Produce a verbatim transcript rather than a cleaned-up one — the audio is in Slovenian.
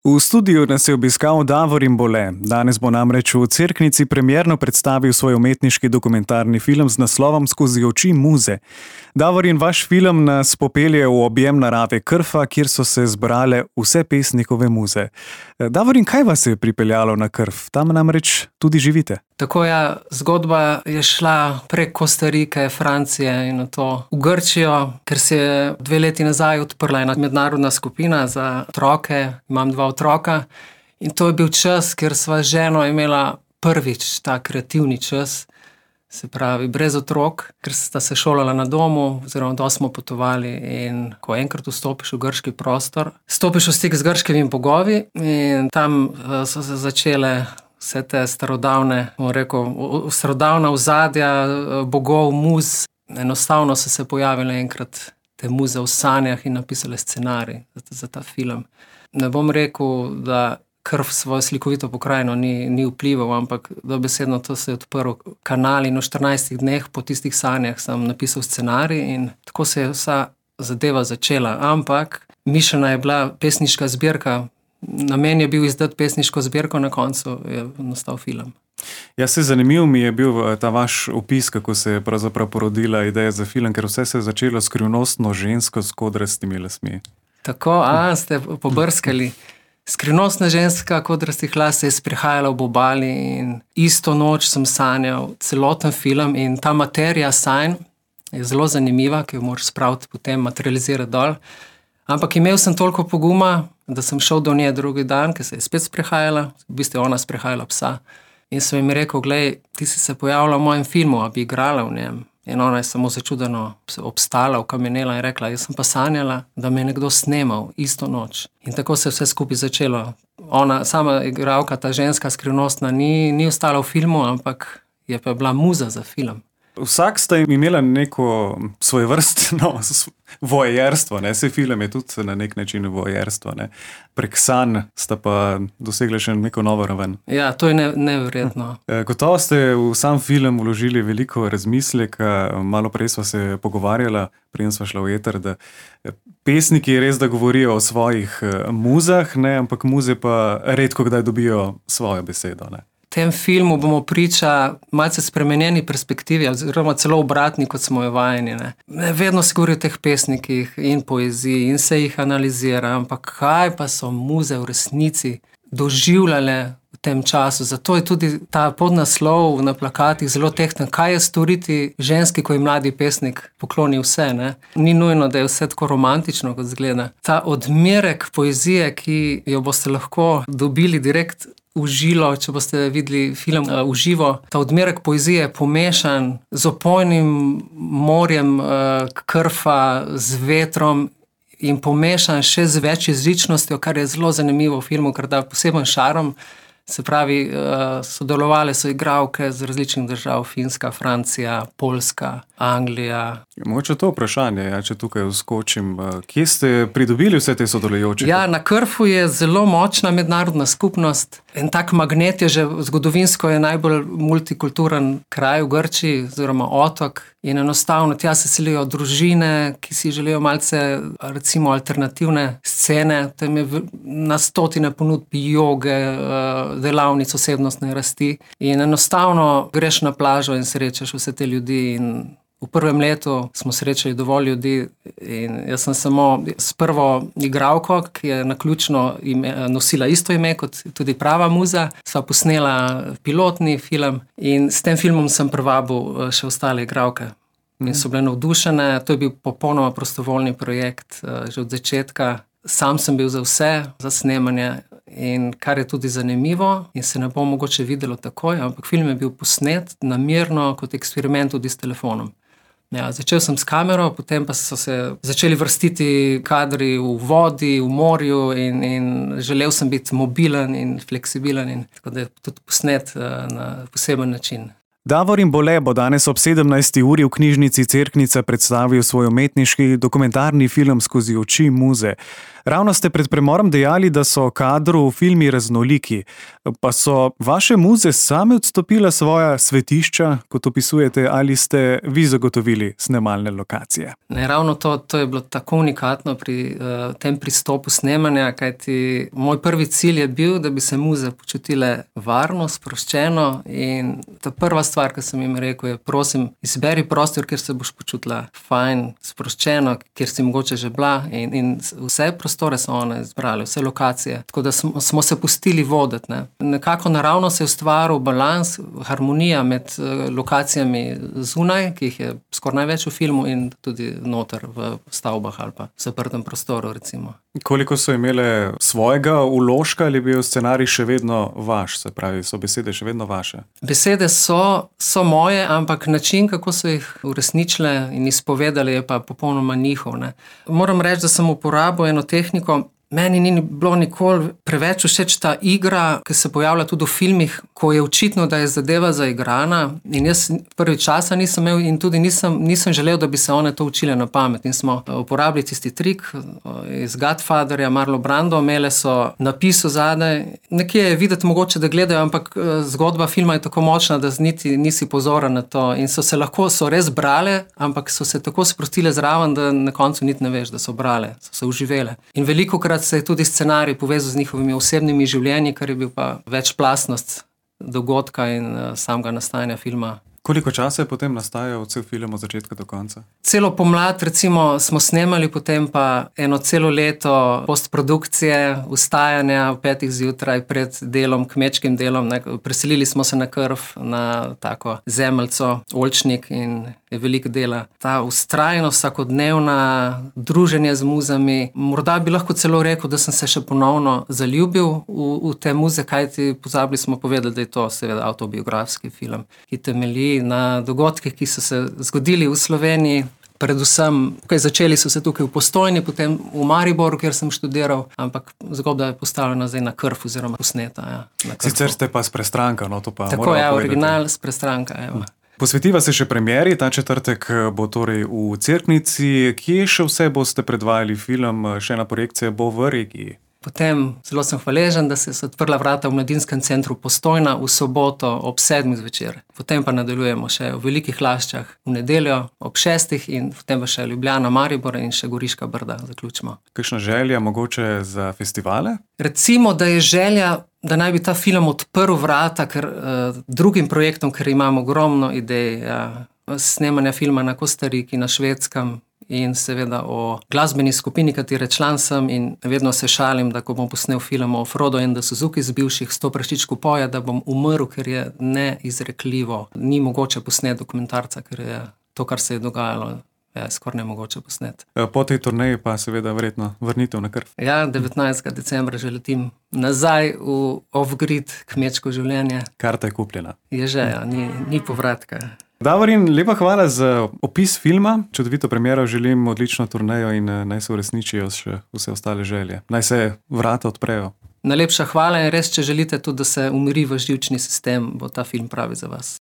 V studiu nas je obiskal Davorin Bole. Danes bo namreč v Cerknici premierno predstavil svoj umetniški dokumentarni film z naslovom Skozi oči muze. Davorin, vaš film nas popelje v objem narave Krfa, kjer so se zbrale vse pesnikove muze. Davorin, kaj vas je pripeljalo na Krf? Tam namreč tudi živite. Tako je, zgodba je šla prek Kostarike, Francije in nato v Grčijo, ker se je dve leti nazaj odprla ena mednarodna skupina za otroke. Imam dva otroka in to je bil čas, kjer sva z ženo imela prvič ta kreativni čas, se pravi brez otrok, ker sta se šolala na domu, oziroma dosti smo potovali, in ko enkrat vstopiš v grški prostor, stopiš v stik z grškimi bogovi in tam so se začele vse te starodavne, bom rekel, starodavna ozadja bogov, muz. Enostavno so se pojavile enkrat te muze v sanjah in napisale scenarij za ta film. Ne bom rekel, da Krf svojo slikovito pokrajino ni, ni vplival, ampak dobesedno to se je odprl kanal in v štirinajstih dneh po tistih sanjah sem napisal scenarij in tako se je vsa zadeva začela. Ampak mišljena je bila pesniška zbirka. Namen je bil izdati pesniško zbirko, na koncu je nastal film. Ja, se zanimiv mi je bil ta vaš opis, kako se je pravzaprav porodila ideja za film, ker vse se je začelo skrivnostno žensko s kodrastimi lasmi. Tako, a, ste pobrskali. Skrivnostna ženska kodrastih las je sprehajala ob obali in isto noč sem sanjal celoten film in ta materija sanj je zelo zanimiva, ki jo moraš spraviti potem materializirati dol. Ampak imel sem toliko poguma, da sem šel do nje drugi dan, ker se je spet sprehajala, v bistvu ona sprehajala psa. In sem jim rekel, glej, ti si se pojavila v mojem filmu, a bi igrala v njem. In ona je samo začudeno obstala, okamenela in rekla, jaz sem pa sanjala, da me je nekdo snemal isto noč. In tako se je vse skupaj začelo. Ona, sama igralka, ta ženska skrivnostna, ni, ni ostala v filmu, ampak je pa bila muza za film. Vsak sta imela neko svojevrstno voajerstvo, ne? Se film je tudi na nek način voajerstvo, ne? Prek sanj sta pa dosegli še neko novo raven. Ja, to je ne, neverjetno. Gotovo ste v sam film vložili veliko razmisleka, malo prej sva se pogovarjala, preden sva šla v eter, da pesniki res da govorijo o svojih muzah, ne? Ampak muze pa redko kdaj dobijo svojo besedo, ne? V tem filmu bomo priča malce spremenjeni perspektivi, oziroma celo obratni, kot smo jo vajeni. Ne. Vedno se govori o teh pesnikih in poeziji in se jih analizira, ampak kaj pa so muze v resnici doživljale v tem času. Zato je tudi ta podnaslov na plakatih zelo tehten. Kaj je storiti ženski, ko je mladi pesnik pokloni vse? Ne? Ni nujno, da je vse tako romantično, kot zgleda. Ta odmerek poezije, ki jo boste lahko dobili direkt v žilo, če boste videli film uh, v živo. Ta odmerek poezije je pomešan z opojnim morjem uh, Krfa, z vetrom in pomešan še z večjezičnostjo, kar je zelo zanimivo v filmu, ker da poseben šarm. Se pravi, uh, sodelovale so igralke z različnih držav, Finska, Francija, Poljska, Anglija. Mogoče to vprašanje, ja, če tukaj vskočim. Kje ste pridobili vse te sodelujoče? Ja, na Krfu je zelo močna mednarodna skupnost. En tak magnet je že zgodovinsko je najbolj multikulturen kraj v Grčiji, oziroma otok. In enostavno tja se selijo družine, ki si želijo malce, recimo, alternativne scene. Tam je na stotine ponudb joge, delavnic osebnostne rasti. In enostavno greš na plažo in srečaš vse te ljudi. In v prvem letu smo srečali dovolj ljudi in jaz sem samo s prvo igralko, ki je naključno ime, nosila isto ime kot tudi prava muza, sva posnela pilotni film in s tem filmom sem privabil še ostale igralke. In so bile navdušene, to je bil popolnoma prostovoljni projekt že od začetka. Sam sem bil za vse, za snemanje. In kar je tudi zanimivo in se ne bo mogoče videlo takoj, ampak film je bil posnet namerno kot eksperiment tudi s telefonom. Ja, začel sem s kamero, potem pa so se začeli vrstiti kadri v vodi, v morju in, in želel sem biti mobilen in fleksibilen in tako da je tudi posnet na poseben način. Davorin Bole bo danes ob sedemnajsti uri v knjižnici Cerknica predstavil svoj umetniški dokumentarni film Skozi oči muze. Ravno ste pred premorom dejali, da so kadru v filmi raznoliki. Pa so vaše muze same odstopile svoja svetišča, kot opisujete, ali ste vi zagotovili snemalne lokacije? Ne, ravno to, to je bilo tako unikatno pri uh, tem pristopu snemanja, kajti moj prvi cilj je bil, da bi se muze počutile varno, sproščeno, in ta prva stvar, ki sem jim rekel, je: prosim, izberi prostor, kjer se boš počutila fajn, sproščeno, kjer si mogoče že bila, in, in vse prostore so one izbrali, vse lokacije. Tako da smo, smo se pustili voditi. Ne. Nekako naravno se je ustvaril balans, harmonija med uh, lokacijami zunaj, ki jih je skoraj največ v filmu, in tudi noter v stavbah ali pa zaprtem prostoru, recimo. Koliko so imele svojega vložka, ali je bil scenarij še vedno vaš, se pravi, so besede še vedno vaše? Besede so, so moje, ampak način, kako so jih uresničile in izpovedali, je pa popolnoma njihov. Ne. Moram reči, da sem uporabil eno tehniko. Meni ni bilo nikoli preveč všeč ta igra, ki se pojavlja tudi v filmih, ko je očitno, da je zadeva zaigrana, in jaz prvi časa nisem imel in tudi nisem, nisem želel, da bi se one to učile na pamet. In smo uporabili tisti trik iz Godfatherja, Marlon Brando, imele so napis zadaj. Nekje je videti mogoče, da gledajo, ampak zgodba filma je tako močna, da niti nisi pozoren na to. In so se lahko, so res brale, ampak so se tako sprostile zraven, da na koncu niti ne veš, da so brale, so se uživele. In velikokrat se je tudi scenarij povezal z njihovimi osebnimi življenji, kar je bil pa večplastnost dogodka in uh, samega nastajanja filma. Koliko časa je potem nastajal cel film od začetka do konca? Celo pomlad, recimo, smo snemali, potem pa eno celo leto postprodukcije, vstajanja v petih zjutraj pred delom, kmečkim delom. Ne. Preselili smo se na Krf, na tako zemeljco, Oljčnik, in je veliko dela. Ta vztrajnost, vsakodnevna druženje z muzami. Morda bi lahko celo rekel, da sem se še ponovno zaljubil v, v te muze, kajti pozabili smo povedati, da je to seveda avtobiografski film, ki temelji na dogodkih, ki so se zgodili v Sloveniji. Predvsem, kaj začeli so se tukaj v Postojni, potem v Mariboru, kjer sem študiral, ampak zgodba je postavljena zdaj na Krf oziroma posneta. Ja, sicer ste pa s Prestranka, no to pa tako je, original s Prestranka. Evo. Posvetiva se še premieri, ta četrtek bo torej v Cerknici. Kje še vse boste predvajali film, še ena projekcija bo v regiji? Potem zelo sem hvaležen, da se je odprla vrata v Mladinskem centru Postojna v soboto ob sedmih zvečer. Potem pa nadaljujemo še v Velikih Laščah v nedeljo ob šestih in potem pa še Ljubljana, Maribor in še Goriška Brda zaključimo. Kakšna želja mogoče za festivale? Recimo, da je želja, da naj bi ta film odprl vrata ker, uh, drugim projektom, ker imamo ogromno idej. Ja. Snemanja filma na Kostariki, na Švedskem, in seveda o glasbeni skupini, katere član sem, in vedno se šalim, da ko bom posnel film o Frodo in da Suzuki z bivših sto prašičku poje, da bom umrl, ker je neizrekljivo. Ni mogoče posneti dokumentarca, ker je to, kar se je dogajalo, je skoraj nemogoče posneti. Po tej turneji pa seveda verjetno vrnitev na Krf. Ja, devetnajstega decembra že letim nazaj v off-grid kmečko življenje. Karta je kupljena. Je že, ja, ni, ni povratka. Davorin, lepa hvala za opis filma, čudovito premiero, želim odlično turnejo in naj se uresničijo še vse ostale želje. Naj se vrata odprejo. Najlepša hvala in res, če želite tudi, da se umiri vaš živčni sistem, bo ta film pravi za vas.